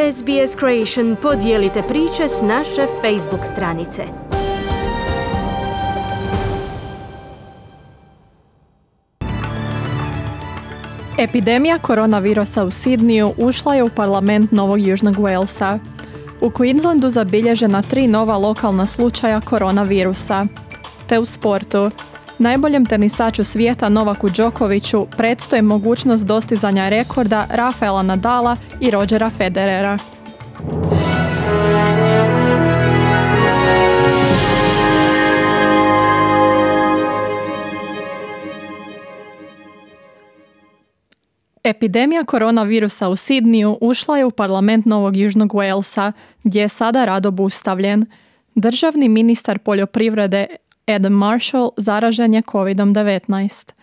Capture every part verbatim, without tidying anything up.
S B S Creation podijelite priče s naše Facebook stranice. Epidemija koronavirusa u Sidniju ušla je u parlament Novog Južnog Walesa. U Queenslandu zabilježena tri nova lokalna slučaja koronavirusa. Te u sportu. Najboljem tenisaču svijeta Novaku Đokoviću predstoji mogućnost dostizanja rekorda Rafaela Nadala i Rogera Federera. Epidemija koronavirusa u Sidniju ušla je u parlament Novog Južnog Walesa, gdje je sada rad obustavljen. Državni ministar poljoprivrede Adam Marshall zaražen je covid devetnaest.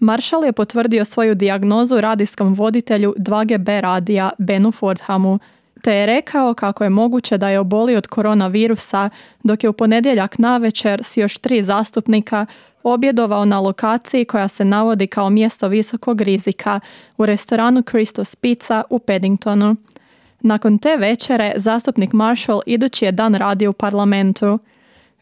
Marshall je potvrdio svoju dijagnozu radijskom voditelju dva G B radija Benu Fordhamu, te je rekao kako je moguće da je obolio od koronavirusa, dok je u ponedjeljak navečer s još tri zastupnika objedovao na lokaciji koja se navodi kao mjesto visokog rizika u restoranu Christos Pizza u Paddingtonu. Nakon te večere zastupnik Marshall idući je dan radio u parlamentu.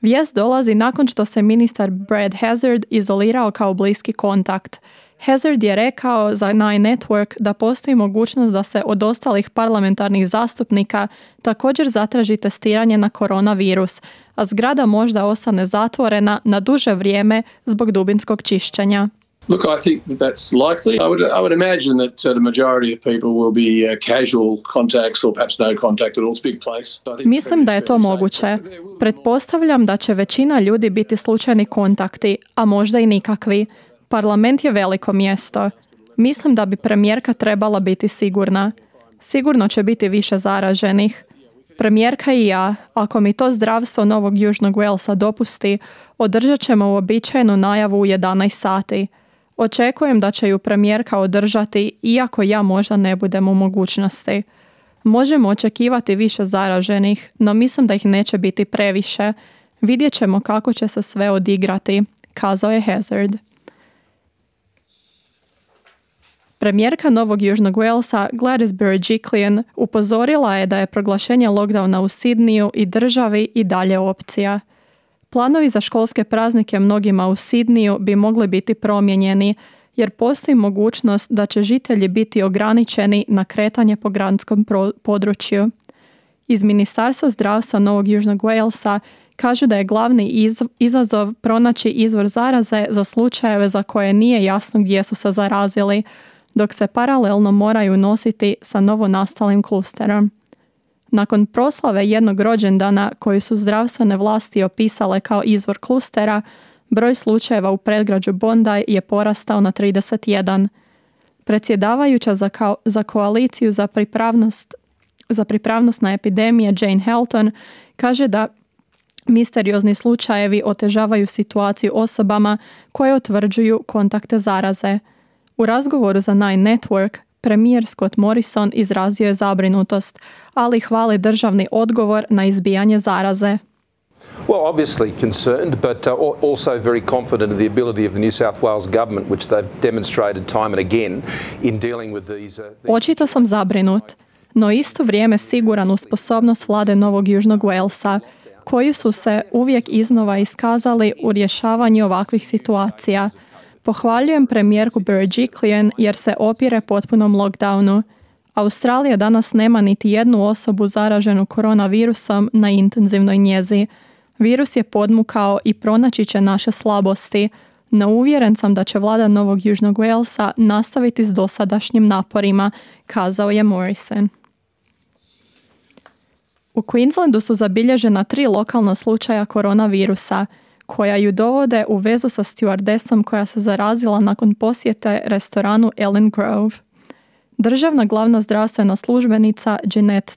Vijest dolazi nakon što se ministar Brad Hazzard izolirao kao bliski kontakt. Hazzard je rekao za Nine Network da postoji mogućnost da se od ostalih parlamentarnih zastupnika također zatraži testiranje na koronavirus, a zgrada možda ostane zatvorena na duže vrijeme zbog dubinskog čišćenja. Look, I think that that's likely. I would, I would imagine that uh, the majority of people will be uh, casual contacts or perhaps no contact at all. It's a big place. Mislim da je to moguće. Pretpostavljam da će većina ljudi biti slučajni kontakti, a možda i nikakvi. Parlament je veliko mjesto. Mislim da bi premijerka trebala biti sigurna. Sigurno će biti više zaraženih. Premijerka i ja, ako mi to zdravstvo Novog Južnog Walesa dopusti, održat ćemo uobičajenu najavu u jedanaest sati. Očekujem da će ju premijerka održati, iako ja možda ne budem u mogućnosti. Možemo očekivati više zaraženih, no mislim da ih neće biti previše. Vidjet ćemo kako će se sve odigrati, kazao je Hazzard. Premijerka Novog Južnog Walesa Gladys Berejiklian upozorila je da je proglašenje lockdowna u Sidniju i državi i dalje opcija. Planovi za školske praznike mnogima u Sidniju bi mogli biti promijenjeni, jer postoji mogućnost da će žitelji biti ograničeni na kretanje po gradskom području. Iz Ministarstva zdravstva Novog Južnog Walesa kažu da je glavni iz- izazov pronaći izvor zaraze za slučajeve za koje nije jasno gdje su se zarazili, dok se paralelno moraju nositi sa novonastalim klusterom. Nakon proslave jednog rođendana koju su zdravstvene vlasti opisale kao izvor klustera, broj slučajeva u predgrađu Bondi je porastao na trideset jedan. Predsjedavajuća za, kao, za koaliciju za pripravnost, za pripravnost na epidemije Jane Helton kaže da misteriozni slučajevi otežavaju situaciju osobama koje utvrđuju kontakte zaraze. U razgovoru za Nine Network, premijer Scott Morrison izrazio je zabrinutost, ali hvali državni odgovor na izbijanje zaraze. Well, obviously concerned, but uh, also very confident in the ability of the New South Wales government, which they've demonstrated time and again in dealing with these. Uh, these... Očito sam zabrinut, no isto vrijeme siguran u sposobnost vlade Novog Južnog Walesa, koji su se uvijek iznova iskazali u rješavanju ovakvih situacija. Pohvaljujem premijerku Berejiklian jer se opire potpunom lockdownu. Australija danas nema niti jednu osobu zaraženu koronavirusom na intenzivnoj njezi. Virus je podmukao i pronaći će naše slabosti, no uvjeren sam da će vlada Novog Južnog Walesa nastaviti s dosadašnjim naporima, kazao je Morrison. U Queenslandu su zabilježena tri lokalna slučaja koronavirusa, koja ju dovode u vezu sa stjuardesom koja se zarazila nakon posjete restoranu Ellen Grove. Državna glavna zdravstvena službenica Jeanette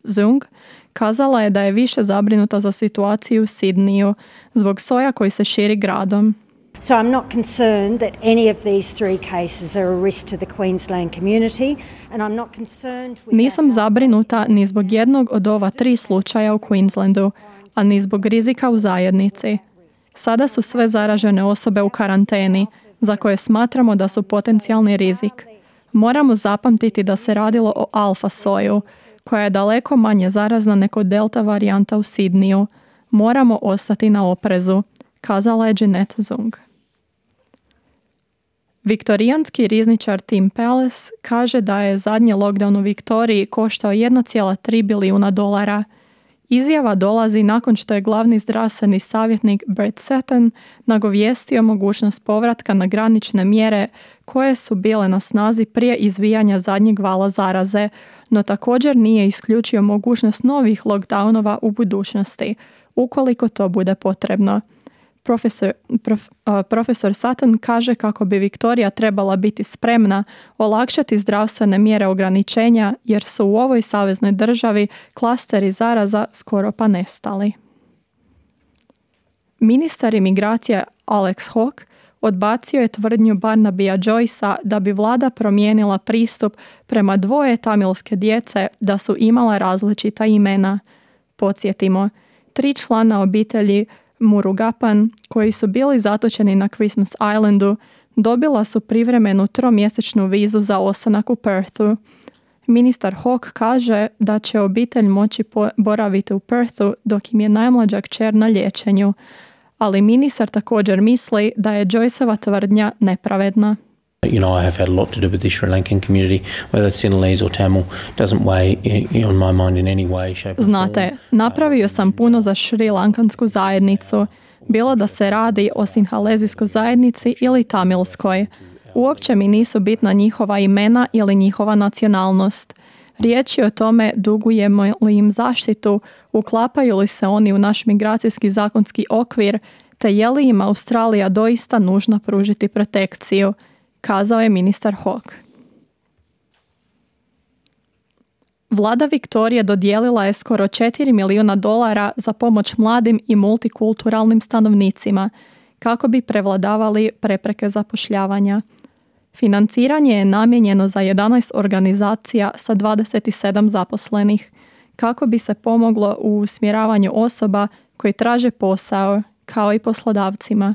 Zung kazala je da je više zabrinuta za situaciju u Sidniju zbog soja koji se širi gradom. So I'm not concerned that any of these three cases are a risk to the Queensland community and I'm not concerned with Nisam zabrinuta ni zbog jednog od ova tri slučaja u Queenslandu, a ni zbog rizika u zajednici. Sada su sve zaražene osobe u karanteni, za koje smatramo da su potencijalni rizik. Moramo zapamtiti da se radilo o alfa soju, koja je daleko manje zarazna nego delta varijanta u Sidniju. Moramo ostati na oprezu, kazala je Jeanette Zung. Viktorijanski rizničar Tim Palace kaže da je zadnji lockdown u Viktoriji koštao jedan zarez tri bilijuna dolara. Izjava dolazi nakon što je glavni zdravstveni savjetnik Brett Sutton nagovijestio mogućnost povratka na granične mjere koje su bile na snazi prije izbijanja zadnjeg vala zaraze, no također nije isključio mogućnost novih lockdownova u budućnosti, ukoliko to bude potrebno. Profesor, prof, uh, profesor Sutton kaže kako bi Viktorija trebala biti spremna olakšati zdravstvene mjere ograničenja jer su u ovoj saveznoj državi klasteri zaraza skoro pa nestali. Ministar imigracije Alex Hawke odbacio je tvrdnju Barnabya Joycea da bi vlada promijenila pristup prema dvoje tamilske djece da su imala različita imena. Podsjetimo, tri člana obitelji Murugapan, koji su bili zatočeni na Christmas Islandu, dobila su privremenu tromjesečnu vizu za ostanak u Perthu. Ministar Hawke kaže da će obitelj moći boraviti u Perthu dok im je najmlađa kćer na liječenju, ali ministar također misli da je Joyceova tvrdnja nepravedna. You know, I have had a lot to do with the Sri Lankan community, whether it's Sinhalese or Tamil, doesn't weigh on my mind in any way, shape or form. Znate, napravio sam puno za šrilankansku zajednicu, bilo da se radi o sinhalezijskoj zajednici ili tamilskoj. Uopće mi nisu bitna njihova imena ili njihova nacionalnost. Riječ je o tome dugujemo li im zaštitu, uklapaju li se oni u naš migracijski zakonski okvir, te je li im Australija doista nužno pružiti protekciju, kazao je ministar Hawke. Vlada Viktorije dodijelila je skoro četiri milijuna dolara za pomoć mladim i multikulturalnim stanovnicima kako bi prevladavali prepreke zapošljavanja. Financiranje je namijenjeno za jedanaest organizacija sa dvadeset sedam zaposlenih kako bi se pomoglo u usmjeravanju osoba koji traže posao, kao i poslodavcima.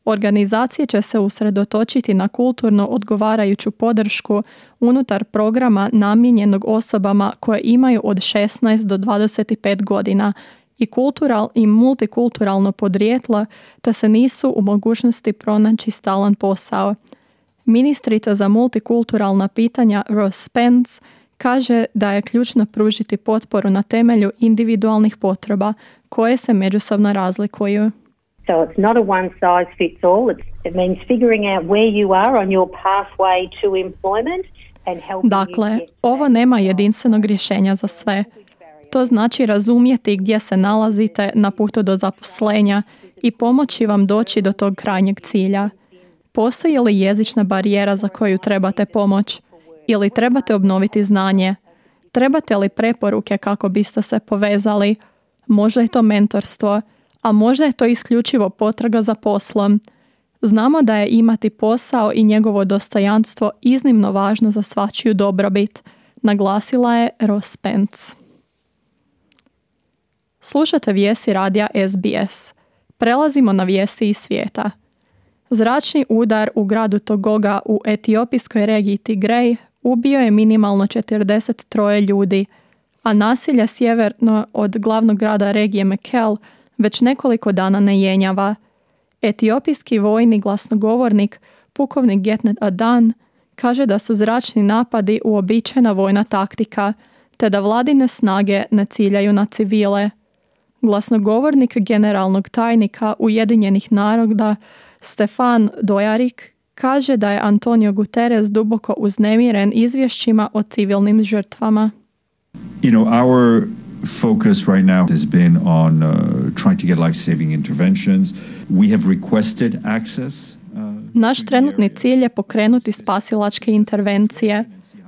Organizacije će se usredotočiti na kulturno odgovarajuću podršku unutar programa namijenjenog osobama koje imaju od šesnaest do dvadeset pet godina i kultural i multikulturalno podrijetlo, te se nisu u mogućnosti pronaći stalan posao. Ministrica za multikulturalna pitanja Ross Spence kaže da je ključno pružiti potporu na temelju individualnih potreba koje se međusobno razlikuju. So it's not a one size fits all. It's, it means figuring out where you are on your pathway to employment and helping Dakle, you get ovo nema jedinstvenog rješenja za sve. To znači razumjeti gdje se nalazite na putu do zaposlenja i pomoći vam doći do tog krajnjeg cilja. Postoji li jezična barijera za koju trebate pomoć? Ili trebate obnoviti znanje? Trebate li preporuke kako biste se povezali? Možda je to mentorstvo, a možda je to isključivo potraga za poslom. Znamo da je imati posao i njegovo dostojanstvo iznimno važno za svačiju dobrobit, naglasila je Ross Spence. Slušate vijesti radija S B S. Prelazimo na vijesti iz svijeta. Zračni udar u gradu Togoga u etiopijskoj regiji Tigrej ubio je minimalno četrdeset tri ljudi, a nasilje sjeverno od glavnog grada regije Mekelle već nekoliko dana ne jenjava. Etiopijski vojni glasnogovornik, pukovnik Getnet Adan, kaže da su zračni napadi uobičajena vojna taktika, te da vladine snage ne ciljaju na civile. Glasnogovornik generalnog tajnika Ujedinjenih naroda Stefan Dujarric kaže da je Antonio Guterres duboko uznemiren izvješćima o civilnim žrtvama. You know, our focus right now has been on uh, trying to get life-saving interventions. We have requested access. Uh, Naš trenutni cilj je pokrenuti spasilačke intervencije.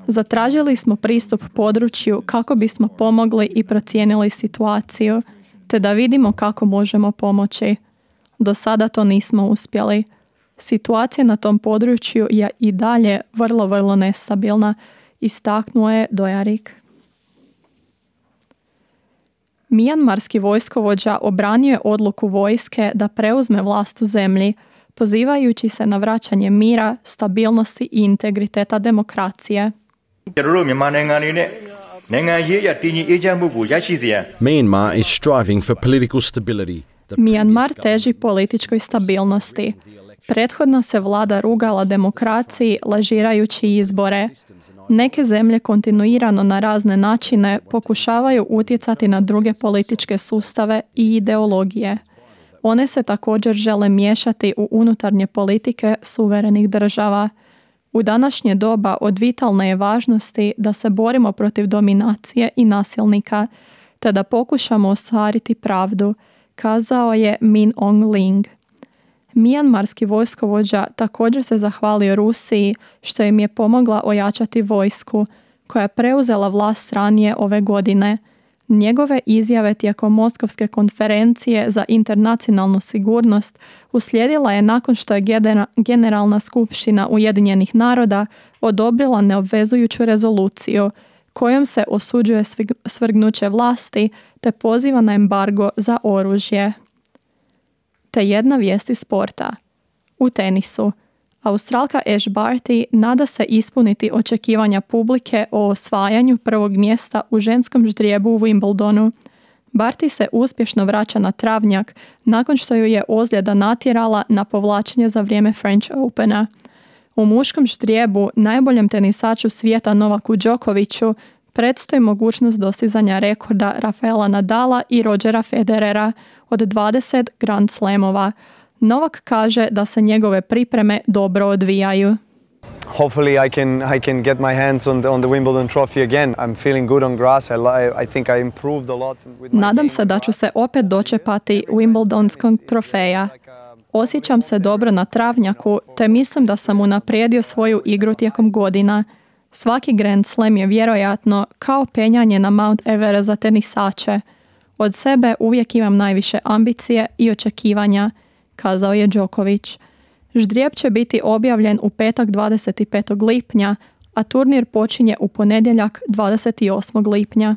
Zatražili smo pristup području kako bismo pomogli i procijenili situaciju, te da vidimo kako možemo pomoći. Do sada to nismo uspjeli. Situacija na tom području je i dalje vrlo, vrlo nestabilna, istaknuo je Dujarric. Mijanmarski vojskovođa obranio je odluku vojske da preuzme vlast u zemlji, pozivajući se na vraćanje mira, stabilnosti i integriteta demokracije. Myanmar is striving for political stability. Mijanmar teži političkoj stabilnosti. Prethodna se vlada rugala demokraciji lažirajući izbore. Neke zemlje kontinuirano na razne načine pokušavaju utjecati na druge političke sustave i ideologije. One se također žele miješati u unutarnje politike suverenih država. U današnje doba od vitalne je važnosti da se borimo protiv dominacije i nasilnika, te da pokušamo ostvariti pravdu, kazao je Min Aung Hlaing. Mijanmarski vojskovođa također se zahvalio Rusiji što im je pomogla ojačati vojsku, koja je preuzela vlast ranije ove godine. Njegove izjave tijekom Moskovske konferencije za internacionalnu sigurnost uslijedila je nakon što je Generalna skupština Ujedinjenih naroda odobrila neobvezujuću rezoluciju kojom se osuđuje svrgnuće vlasti te poziva na embargo za oružje. Te jedna vijest iz sporta. U tenisu. Australka Ash Barty nada se ispuniti očekivanja publike o osvajanju prvog mjesta u ženskom ždrijebu u Wimbledonu. Barty se uspješno vraća na travnjak nakon što ju je ozljeda natjerala na povlačenje za vrijeme French Opena. U muškom ždrijebu najboljem tenisaču svijeta Novaku Đokoviću predstoji mogućnost dostizanja rekorda Rafaela Nadala i Rogera Federera od dvadeset Grand Slamova. Novak kaže da se njegove pripreme dobro odvijaju. Hopefully I can I can get my hands on the on the Wimbledon trophy again. I'm feeling good on grass. I I think I improved a lot with my Nadam se da ću se opet dočepati Wimbledonskog trofeja. Osjećam se dobro na travnjaku, te mislim da sam unaprijedio svoju igru tijekom godina. Svaki Grand Slam je vjerojatno kao penjanje na Mount Everest za tenisače. Od sebe uvijek imam najviše ambicije i očekivanja, kazao je Đoković. Ždrijeb će biti objavljen u petak dvadeset petog lipnja, a turnir počinje u ponedjeljak dvadeset osmog lipnja.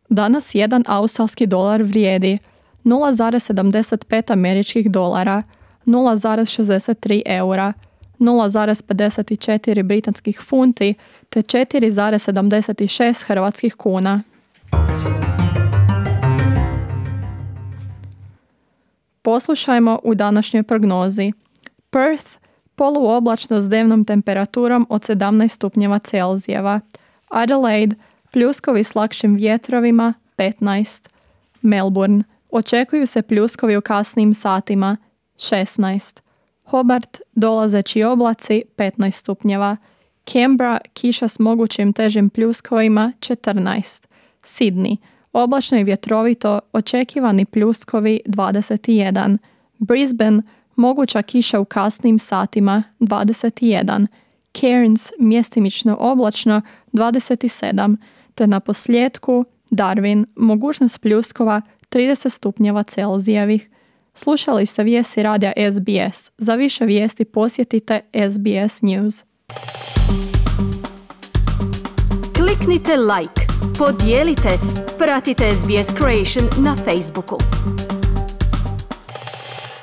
Danas jedan australski dolar vrijedi nula zarez sedamdeset pet američkih dolara, nula zarez šezdeset tri eura, nula zarez pedeset četiri britanskih funti te četiri zarez sedamdeset šest hrvatskih kuna. Poslušajmo u današnjoj prognozi. Perth, poluoblačno s dnevnom temperaturom od sedamnaest stupnjeva Celzijeva. Adelaide, pljuskovi s lakšim vjetrovima, petnaest. Melbourne, očekuju se pljuskovi u kasnim satima, šesnaest. Hobart, dolazeći oblaci, petnaest stupnjeva. Canberra, kiša s mogućim težim pljuskovima, četrnaest. Sydney, oblačno i vjetrovito, očekivani pljuskovi, dvadeset jedan. Brisbane, moguća kiša u kasnim satima, dvadeset jedan. Cairns, mjestimično oblačno, dvadeset sedam. Te na posljedku Darwin, mogućnost pljuskova, trideset stupnjeva Celzijevih. Slušali ste vijesti radija S B S. Za više vijesti posjetite S B S News. Kliknite like, podijelite, pratite S B S Creation na Facebooku.